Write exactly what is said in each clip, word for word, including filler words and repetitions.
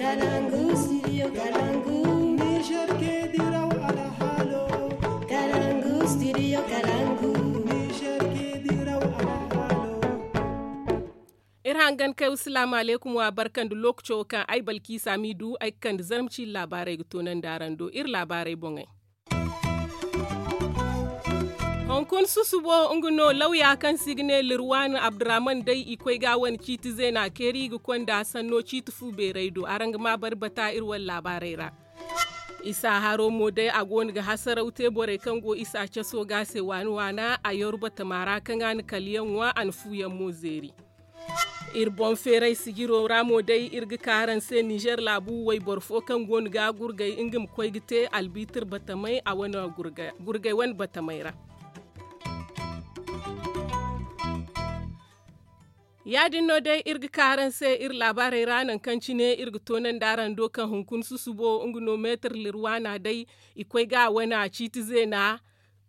Kalangu, studio Kalangu. Niger ke diraw alhalo. Kalangu, studio Kalangu. Niger ke diraw alhalo. Iri hangan kay, wasalaamu alaykum, wa barka nda lookaco kaŋ ay balkiisa m'i du ay ga kande zarma ciine laabaarey ga toonandi araŋ do iri laabaarey boŋey. Hunkuna susubo nga no lawya kaŋ se i ga ne lirwan abdurrahman day i koy ga wane ciiti zeena keeri i ga konda sanno ciiti fu beeray do araŋ ga ma bari bata iri wane laabaarey ra. Isa haro mo day a go no ga hasaraw te borey kaŋ go isa caso ga se waana waana a yaru batama ra kaŋ a na kala yaŋ ŋwa a na fu yaŋ mo zeeri. Iri boŋ feeray sijiro ra mo day iri ga ka araŋ se nizer laabu wayboro fo kaŋ go no ga gurgay nga ma koy ga te albitir batamay a wane gurgay wane batamay ra. Ya- din no day iri ga ka araŋ se iri laabaarey ra nangu kaŋ cine iri ga toonandi araŋ do kaŋ hunkuna susubo nga no meetir lirwaana day i koy ga a wane ciiti zeena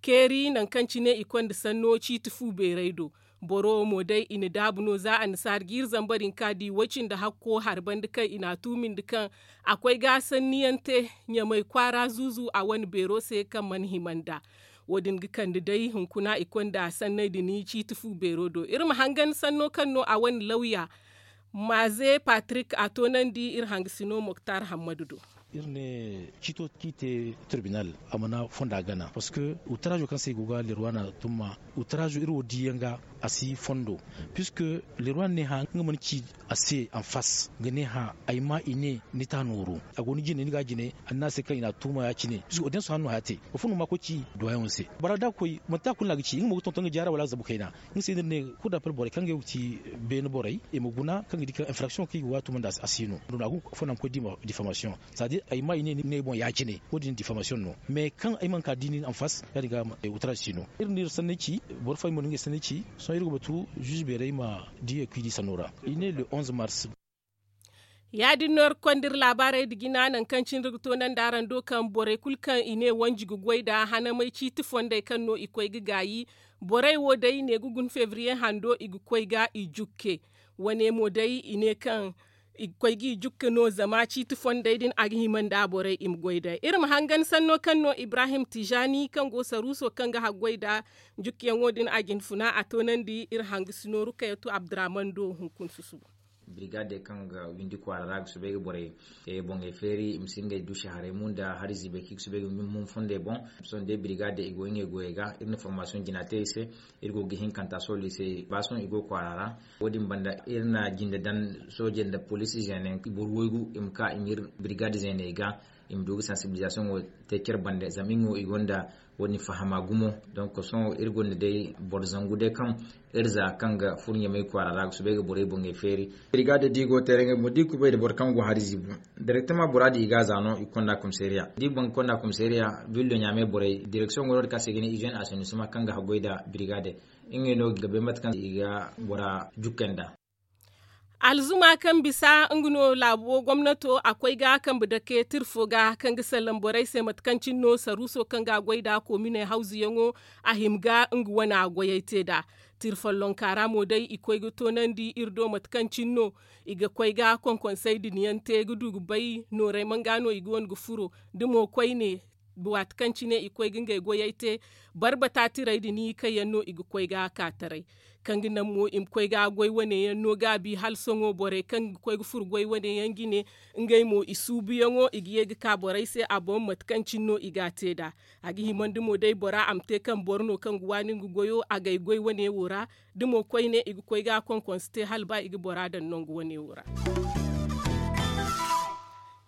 keeri nangu kaŋ cine i konda sanno ciiti fu beeray do. Boro wo mo day i na daabu no za annasaara ga iri zambar hinka di way cindi hakko hari banda kaŋ i n'a tuumindi kaŋ a koy ga sanniyaŋ te ɲamay kwaara zuuzu a wane beero se kaŋ mana hima nd'a. Wo- din ga kande day hunkuna i konda sanney din ciiti fu beero do iri ma hangan sanno kaŋ no a wane lawya. Maaze patrik a toonandi iri hangasino moktar hammadu do. Iri ne ciito kaŋ i te tirbinal a mana fonda gana parceque utaraazo kaŋ se i go ga lerwana tumma utaraazo iri wo diyaŋ ga a si fondo. Puisque lerwana ne hã nga mana ci a se anfas ga ne hã ay ma i ne ni ta nooru a go ni jine ni ga jine annaase kaŋ i n'a tuuma ya- cine puisque audience hã no haya te. Boro fo no ma koy ci duwayaŋo se bora da koy manti a kulu no a ga ci nga mo ga tonton nga jaara wala a zabu kayna. Nga se no iri ne kulu da pal borey kaŋ ga yaw ga ci beene borey i ma guna kaŋ ga di kaŋ infraction kaŋ i ga waatu manda a si no. Duna a gu fo naŋ koy diffamation. Sadi ay ma i ne ni ne ay boŋ ya- cine wo- din diffamation no mais kaŋ ay mana ka di nin anfas ya- din ga wutara si no. Iri no iri sanney ci boro fo ay mo no ngey sanney ci sohõ iri ga batu juge beerey ma di ay kuy di sanno ra. I ne le onze mars. Ya- din no iri ga konda iri laabaarey nda jina nangu kaŋ cine iri ga toonandi araŋ do kaŋ borey kulu kaŋ i ne wanji ga goy nd'a hanamay ciiti fondey kaŋ no i koy ga gaayi. Borey wo day ne ga guna febriye hando i ga koy ga i jukke. Wane mo day i ne kaŋ i ga koy ga i jukke no zama ciiti fondey din a ga hima nda borey i ma goy day iri ma hangan sanno kaŋ no ibrahim tijaani kaŋ go saruuso kaŋ ga haggoy nda jukkeyaŋo din a ga hin funa a toonandi iri hangasino rukayatu abdurrahman do hunkuna susubo. Birigade kaŋ ga windi kwaara ra ga soobay ga borey boŋey feeri i ma si ngey du shaharay mu nda hari ziibay kaŋ i ga soobay ga mun fondey boŋ. Sohõ day birigade i go ngey goyey ga iri na formasiyoŋ jina te i se. Iri go ga hinkanta sooley se ba sohõ i go kwaara ra. Wo- din banda iri na jinde daŋ soojey nda poliisi zeene boro waygu i ma ka i ma iri birigade zeeney ga i ma du ga sansibilizasiyoŋo te care bande zama i ŋo i gonda wo- din fahama gumo. Donk sohõ iri gonda day boro zangu day kaŋ iri za kaŋ ga furo ɲamay kwaara ra ga soobay ga borey boŋey feeri. Birigade da i go teere ngey boŋ da i kubay nda boro kaŋ go hari ziibo direktama bora din i ga a za no i ga konda komisariya da i boŋ ga konda komisariya. Villo ɲaamay borey direksiyoŋ go no- din kaŋ se i ga ne izeene asanisima kaŋ ga haggoy nda birigade ngey no ga bay mate kaŋ i ga bora jukkey nd'a. Alzuma kaŋ bisa nga no laabo gomnato a koy ga kambe dake tira fo ga kaŋ ga sallaŋ borey se mate kaŋ cine no saruuso kaŋ ga a goy nd'a koominey hawzuyaŋo a hima ga nga wane a goyey te nd'a. Tira follonka ra mo day i koy ga toonandi iri do mate kaŋ cine no i ga koy ga konkonsey din yaŋ te ga du ga bay noorey man ga no i ga wane ga furo da mo koyne waati kaŋ cine i koy ga ngey goyey te. Barbata tirey din kaŋ yaŋ no i ga koy ga ka taray kaŋ ga naŋ mo i ma koy ga goy wane yaŋ no gaabi hala sohõ borey kaŋ ga koy ga furo goy wane yaŋ jine ngey mo i suubuyaŋo i ga ye ga ka borey se a boŋ mate kaŋ cine no i ga a te nd'a. A ga himandi mo day bora a ma te kaŋ boro no kaŋ ga waani nga goyo a gay goy wane wo ra da mo koyne i ga koy ga konkonse te hala ba i ga bora daŋ nangu wane wo ra.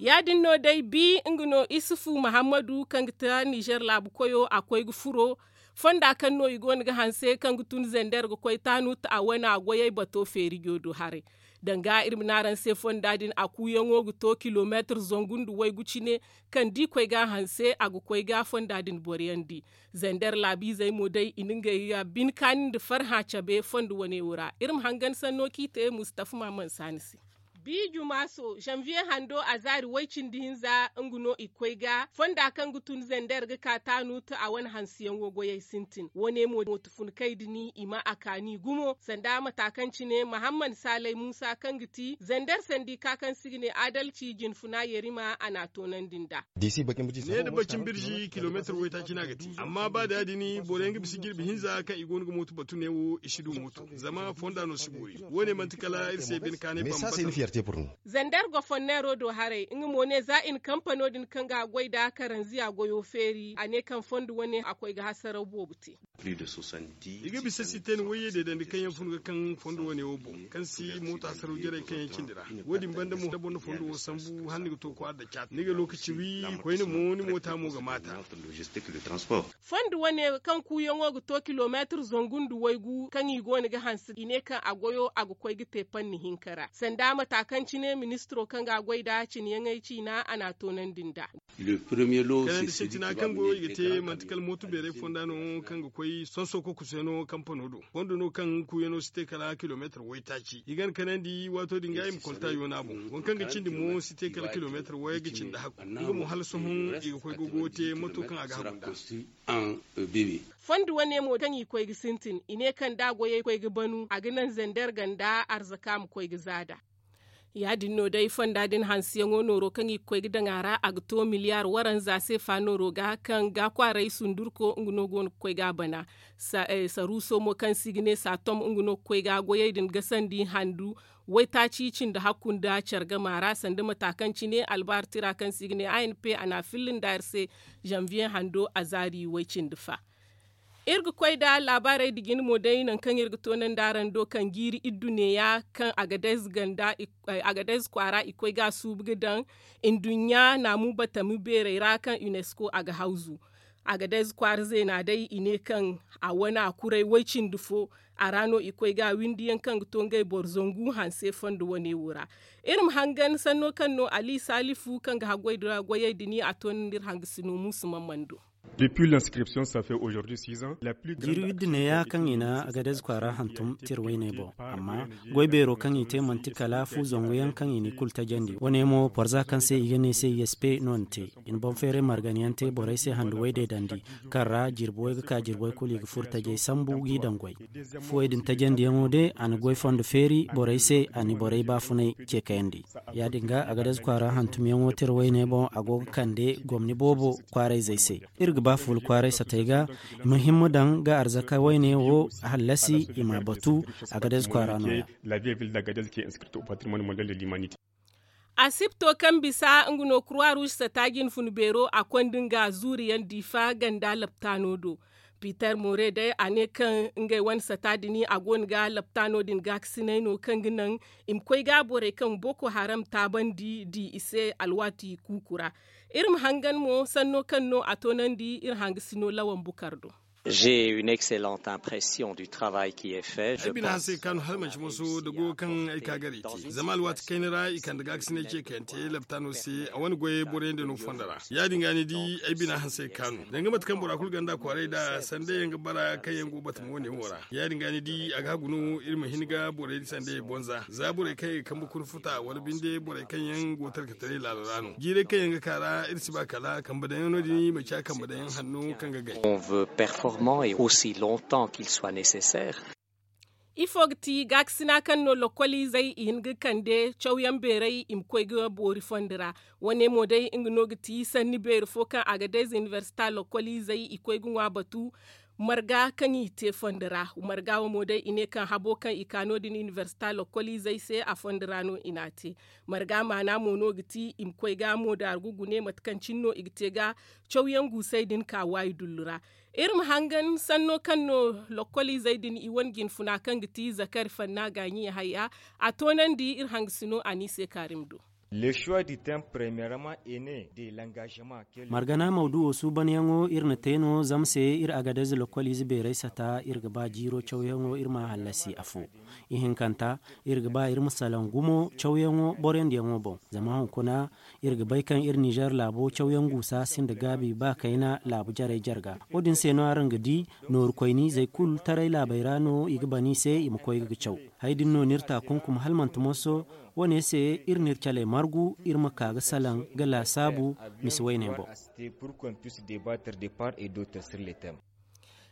Ya- din no day bi nga no isufu muhammadu kaŋ ga ta nizer laabu koyo a koy ga furo fonda kaŋ no i go no ga hanse kaŋ ga tun zender ga koy taanu ta a wane a goyey bato feerijo do haray. Danga iri ma ne araŋ se fonda din a kuuyaŋo ga to kilomeetir zangu nda waygu cine. Kaŋ da i koy ga a hanse a ga koy ga fonda din boro yaŋ di. Zender laabiizey mo day i na ngey ga bine kaani nda farhã cabe fondo wane wo ra iri ma hangan sanno kaŋ i te mustafa maaman saani se. Bi jumaaso zanviye hando a zaari way-cindi hinza nga no i koy ga fonda kaŋ ga tun zander ga ka taanu ta a wane hansiyaŋo goyey sintin wo- ne mo motufunkey din i ma a kaani gumo sanda mata kaŋ cine mahammad saalay muusa kaŋ ga ti zander sandika kaŋ se i ga ne adalci jinfuna yerima a n'a toonandi nd'a. Ne da bacin birji kilomeetir waytaaci no a ga te amma ba da ya- din boro yaŋ ga bisa jirbi hinza kaŋ i go no ga mooto batu ne wo i si du mooto zama fonda no si boori. Wo- ne manti kala iri se bine kaanay bambata. Zander goforneero do haray nga mo ne za i na kampano din kaŋ ga a goy nd'a karanziya goyo feeri a ne kaŋ fondo wane a koy ga hasaraw boobo te. I ga bisa siten wayye deedandi kaŋ yaŋ fun ga kaŋ fondo wane wo boŋ kaŋ si mooto hasaraw jarey kaŋ yaŋ cindi ra. Wo- din banda mo da boro na fondo wo sambu hala ni ga to kwaara da caati ni ga lookaci wi koyne mo ni moota mo ga maata. Fondo wane kaŋ kuuyaŋo ga to kilomeetir zangu nda waygu kaŋ i go no ga hanse i ne kaŋ a goyo a ga koy ga te panni hinka ra sanda mata kaŋ cine ministiro kaŋ ga a goy nd'a cine yaŋey ciina a n'a toonandi nd'a. Kanandi sintina kaŋ goyo i ga te manti kala mooto beeray fonda no kaŋ ga koy sonso kokuso yaŋ no kampano do fondo no kaŋ kuuyaŋo si te kala kilomeetir waytaaci i gana kanandi waato din ga i ma kolta yoona boŋ waŋ kaŋ ga cindi mo si te kala kilomeetir wayey ga cindi hakku nga mo hala sohõ i ga koy ga goyo te mato kaŋ a ga hagu nd'a. Fondo wane mo kaŋ i koy ga sintin i ne kaŋ da goyey koy ga banu a ga naŋ zander ganda arzaka ma koy ga zaada. Ya- din no day fonda din hanseyaŋo nooro kaŋ i ga koy ga daŋ a ra a ga to miliyaar waranza se fa nooro ga kaŋ ga kwaaray sundurko nga no go no ga koy ga a bana. Saruuso mo kaŋ se i ga ne saatom nga no ga koy ga goyey din gasandi handu waytaaci cindi hakku nda care gama ra sanda mata kaŋ cine albaari tira kaŋ se i ga ne a n p a n'a filla nda iri se zanviye hando a zaari way-cindi fa. Iri ga koy nda laabaarey nda jine mo day nangu kaŋ iri ga toonandi araŋ do kaŋ jiiri iddu neeya kaŋ agadez ganda agadez kwaara i koy ga a suubu ga daŋ nduɲɲa naamu batami beerey ra kaŋ unesco a ga hawzu. Agadez kwaara zeena day i ne kaŋ a wane a kuray way-cindi fo a ra no i koy ga a windi yaŋ kaŋ ga to ngey boro zangu hanse fondo wane wo ra. Iri ma hangan sanno kaŋ no ali saalifu kaŋ ga haggoy nda goyey din a toonandi iri hangasino muusu mamman do. Jiiri widda neeya kaŋ i na agadez kwaara hantum tira wayne boŋ amma goy beero kaŋ i te manti kala fu zangu yaŋ kaŋ i n'i kulu tajandi wane mo porza kaŋ se i ga ne se i s p no ni te. I na boŋ feeray margan yaŋ te borey se handu way deedandi kaŋ ra jirbi way ga ka jirbi way kulu i ga furo tajay sambu g'i daŋ goy. Fuwey din tajandiyaŋo day a na goy fondo feeri borey se a na borey baafunay ce kayandi. Ya- din ga agadez kwaara hantumyaŋo tira wayne boŋ a go ga kande gomni boobo kwaarayzey se. Iri ga ba fuula kwaaray satey ga i ma himma daŋ ga arzaka wayne wo hallasi i ma a batu. Agadez kwaara no- ya. Asipto kaŋ bisa nga no kurwa ruuž sata jinfun beero a konda nga zuuriyaŋ diifa ganda laptaano do. Piiter more day a ne kaŋ ngey wane sata din a go no ga laptaano din gaakasinay no kaŋ ga naŋ i ma koy ga borey kaŋ boko haram taabandi di i se alwaati kuuku ra. Iri ma hangan mo sanno kaŋ no a toonandi iri hangasino lawan bukar do. J'ai une excellente impression du travail qui est fait. Ay bina hansey kaanu hala manci moso da goyo kaŋ ay ka garay te zama alwaati kayna ra i kande gaakasinay ce kaŋ yaŋ te laptaano se a wane goyey borey nda no fondo ra. Ya- din ga ni di ay bina hansey kaanu danga mate kaŋ bora kulu ganda kwaaray nd'a sanda yaŋ ga bara kaŋ yaŋ go batama wane wo ra. Ya- din ga ni di a ga hagu no iri ma hin ga borey sanda yaŋ bonza za borey kaŋ yaŋ ga kambe kuna futa wala binde borey kaŋ yaŋ go talkataray laalo ra no jiiray kaŋ yaŋ ga ka ra iri si ba kala kambe daŋ yaŋ no- din manci a kambe daŋ yaŋ hanno kaŋ ga gay. On veut performant et aussi longtemps qu'il soit nécessaire. Ifo ga ti gaakasina kaŋ no lokoliizey i hin ga kande cawyaŋ beeray i ma koy ga boori fondo ra. Wane mo day nga no ga ti sanni beeri fo kaŋ a ga day za inibersita lokoliizey i koy ga ŋwa batu marga kaŋ i te fondo ra. Marga wo mo day i ne kaŋ habo kaŋ i ka no- din inibersita lokoliizey se a fondo ra no i n'a te. Marga maana mo no ga ti i ma koy ga mo daargu gune mate kaŋ cine no i ga te ga cawyaŋ guusey din ka waayi dullu ra. Iri ma hangan sanno kaŋ no lokoliizey din i wane jinfuna kaŋ ga ti zakari fanna gaaɲi haya a toonandi iri hangasino a n'i se kaarim do. Margana mawduwo suubanyaŋo iri na te no zama se iri agadez lokoliize beeray sata iri ga ba jiiro cawyaŋo iri ma hallasi afo. Ihinkanta, iri ga ba iri ma salaŋ gumo cawyaŋo boroyandiyaŋo boŋ zama hunkuna iri ga bay kaŋ iri nizer laabo cawyaŋ guusa sinda gaabi ba kayna laabu jarey jarga. Wo- din se no araŋ ga di nooru koyniizey kulu taray laabey ra no i ga ban i se i ma koy ga caw. Hay- din no n'iri taakunkum hala manti moso. Wo- ne se iri n'iri caley margu iri ma ka ga salaŋ ga laasaabu misi woyney boŋ.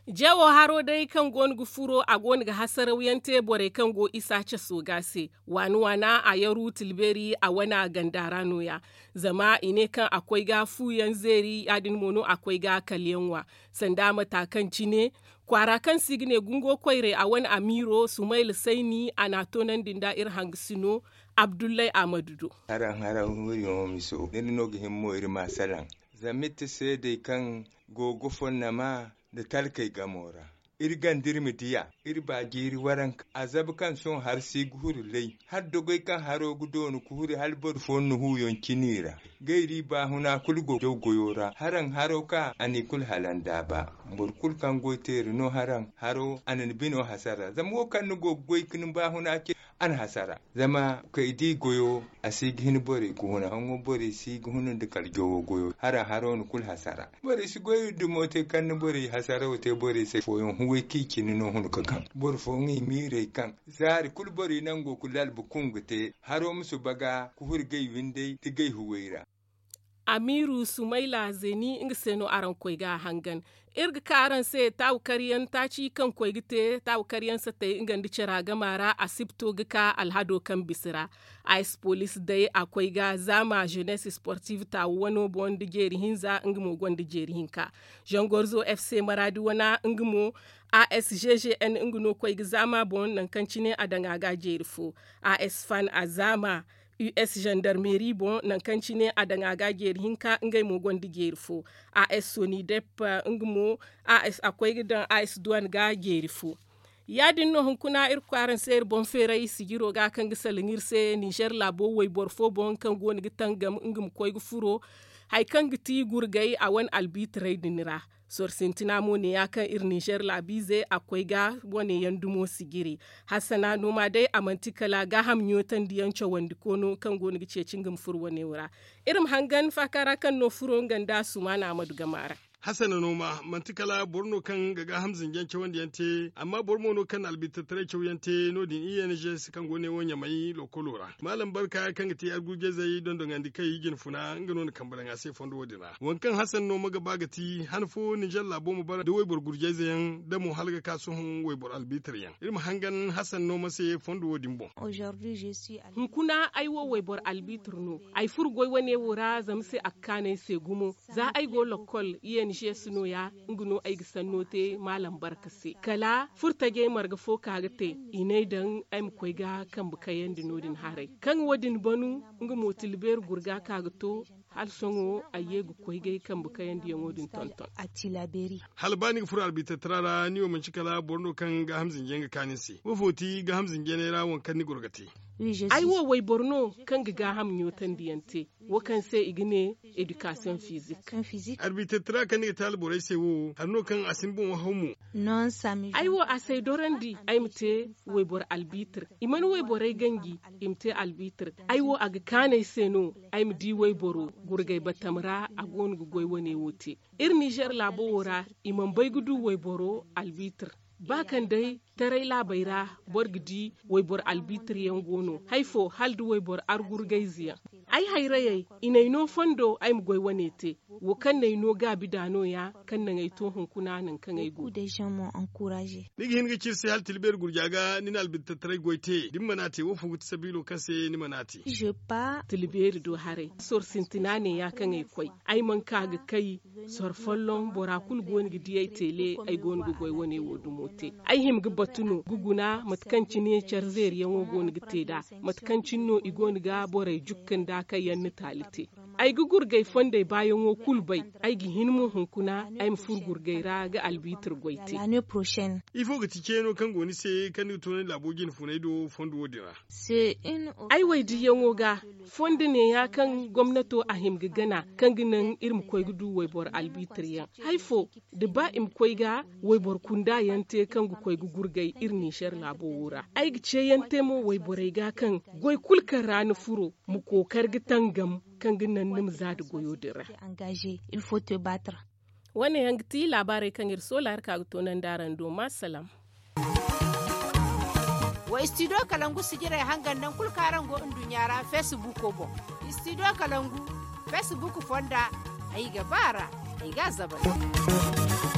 Jewo haro day kaŋ go no ga furo a go no ga hasarawyaŋ te borey kaŋ go isa caso ga se. Waana waana a yaru tilbeeri a wana ganda ra no- ya. Zama i ne kaŋ a koy ga fu yaŋ zeeri ya- din mo no a koy ga kala yaŋ ŋwa. Sanda mata kaŋ cine kwaara kaŋ se i ga ne gungo koyray a wane amiiro sumayla sayni a n'a toonandi nda iri hangasino abdullay ahmadu do. Haraŋ haraŋ wuriyaŋo miso da ni no ga hima mo iri ma salaŋ. Zama iri ti seedey kaŋ go ga fonnama nda talkey gamo ra. Iri ganda iri ma diya iri ba jiiri waranka a zabu kaŋ sohõ hari si ga huru lay hala dogoy kaŋ haro ga doonu ga huru hala boro fooyaŋ na huuyaŋ cini ra. Gayri baahuna kulu go jaw goyo ra haraŋ haro ka a n'i kulu halan daaba. Boro kulu kaŋ goy teeri no haraŋ haro a na ni bino hasara zama wo kaŋ ni go ga goy ga ni baahuna ce a na hasara. Zama kay di goyo a si ga hin borey ga huna haŋo borey si ga huna nda kala jowo goyo haraŋ haro na kulu hasara. Borey si goy dumo te kaŋ ni borey hasara wo te borey se fooyaŋ huway kaŋ i cine no huna ga kaŋ boro fooyaŋ i miirey kaŋ zaari kulu borey nango ga lalba kungu te haro ma suba ga ga hurgay windey da gay huway ra. Amiiru sumayla zeni nga se no araŋ koy ga a hangan. Iri ga ka araŋ se taawu karyaŋ taaci kaŋ koy ga te taawu karyaŋ satay nga nda cara gama ra a si ga to ga ka alhado kaŋ bisa ra. Ice police day a koy ga zaama jeunesse sportive taawu wano boŋ nda jeeri hinza nga mo gonda jeeri hinka. Zangorzo fc maraadi wana nga mo as ggn nga no koy ga zaama boŋ nangu kaŋ cine a daŋ a ga jeeri fo. As fan a zaama us gendarmeri boŋ nangu kaŋ cine a daŋ a ga jeeri hinka ngey mo gonda jeeri fo. As soni depp nga mo a koy ga daŋ as duwan ga jeeri fo. Ya- din no hunkuna iri ga koy araŋ se iri boŋ feeray sijiro ga kaŋ ga salaŋ iri se nizer laabo wayboro fo boŋ kaŋ go no ga tangam nga ma koy ga furo hari kaŋ ga ti gurgay a wane albitaray din ra. Soro sintina mo ne ya kaŋ iri nizer laabiize a koy ga wane yaŋ dumo sijiri. Hassana no ma day a manti kala gaaham ɲootandi yaŋ cawandi koono kaŋ go no ga ceeci nga ma furo wane wo ra. Iri ma hangan faaka ra kaŋ no furo nga nda sumaana ahmadu gama ra. Hassana no ma manti kala boro no kaŋ ga gaaham zinjaŋ cawandi yaŋ te amma boro mo no kaŋ na albitattaray caw yaŋ te no- din i n g se kaŋ go ne wo ɲamay lookolo ra. Maalam barka kaŋ ga te argurjayzey dondoŋandi kay jinfuna nga no na kambe daŋ a se fondo wo- din ra waŋ kaŋ hassana no ma ga ba ga ti han fo ninzer laabo ma bara nda wayboro gurjayze yaŋ da mo hala ga ka sohõ wayboro albitir yaŋ iri ma hangan hassana no ma se fondo wo- din boŋ. Hunkuna ay wo wayboro albitir no. Ay furo goy wane wo ra zama se a ga kaanu ay se gumo. Za ay go lokkol i n g se no- ya nga no ay ga sanno te maalam barka se kala furo tajey marga fo ka ga te. I n'ay daŋ ay ma koy ga kambe kayandi no- din haray kaŋ wo- din banu nga mo tilbeeri gurga ka ga to. Hala sohõ ay ye ga koy ga ay kambe kayandiyaŋo din tonton. Hala ba ni ga furo albitattara ra ni wo manci kala boro no kaŋ gaaham zinjey ga kaanu ni se wo fo ti gaaham zinjey ra waŋ kaŋ ni goro ga te? Ay wo wayboro no kaŋ ga gaaham ɲootandi yaŋ te wo kaŋ se i ga ne edikasiyoŋ fizik. Albitattara kaŋ ni ga te alborey se wo hari no kaŋ a si ni boŋ waham mo. Ay wo a si ay dorandi ay ma te wayboro albitir. I mana wayborey ganji i ma te albitir. Ay wo a ga kaanu ay se no ay ma di wayboro gurgay batam ra a go no ga goy wane wo te. Iri nizer laabo wo ra i mana bay ga du wayboro albitir. Ba kaŋ day taray laabey ra boro ga di wayboro albitir yaŋ go no hari fo hala nda wayboro argurgayze yaŋ. Ay hayrayey i n'ay no fondo ay ma goy wane te. Wo kaŋ n'ay no gaabi da no- ya kaŋ naŋ ay to hunkuna nangu kaŋ ay go. Ni ga hin ga ci iri se hala tilbeeri gurja ga ni na albitattaray goy te da ni mana te wo fo ga ti sabiilo kaŋ se ni mana te? Tilbeeri do haray soro sintina ne- ya kaŋ ay koy. Ay mana ka ga kay soro folloŋ bora kulu go no ga di ay teele. Ay go no ga goy wane wo dumo te. Ay hima ga batu no ga guna mate kaŋ cine care zeeriyaŋo go no ga te nd'a. Mate kaŋ cine no i go no ga borey jukka nda kaŋ yaŋ na taali te. Ay ga gurgay fondey baayaŋo kulu bay. Ay ga hin mo hunkuna ay ma furo gurgay ra ga albitir goy te. Ifo ga ti ceeno kaŋ go ni se kaŋ ni ga to ni laabo jine funay do fondo wo- din ra? Ay waydiyaŋo ga fondo neeya kaŋ gomnato a hima ga gana kaŋ ga naŋ iri ma koy ga du wayboro albitir yaŋ. Hari fo da ba i ma koy ga wayboro kunda yaŋ te kaŋ ga koy ga gurgay iri ninzer laabo wo ra. Ay ga ceeyaŋ te mo wayborey ga kaŋ goy kulu kaŋ ra ni furo ma kookari ga tangam kaŋ ga naŋ ni ma za nda goyo din ra. Wane yaŋ ga ti laabaarey kaŋ iri soola iri ka ga toonandi araŋ do ma salaam. Istidiyo kalangu sijirey hangan naŋ kulu kaŋ araŋ go nduɲɲa ra feesibuuko boŋ. Istidiyo kalangu feesibuuku fonda. Ay ga ba a ra. Ay ga a zabari.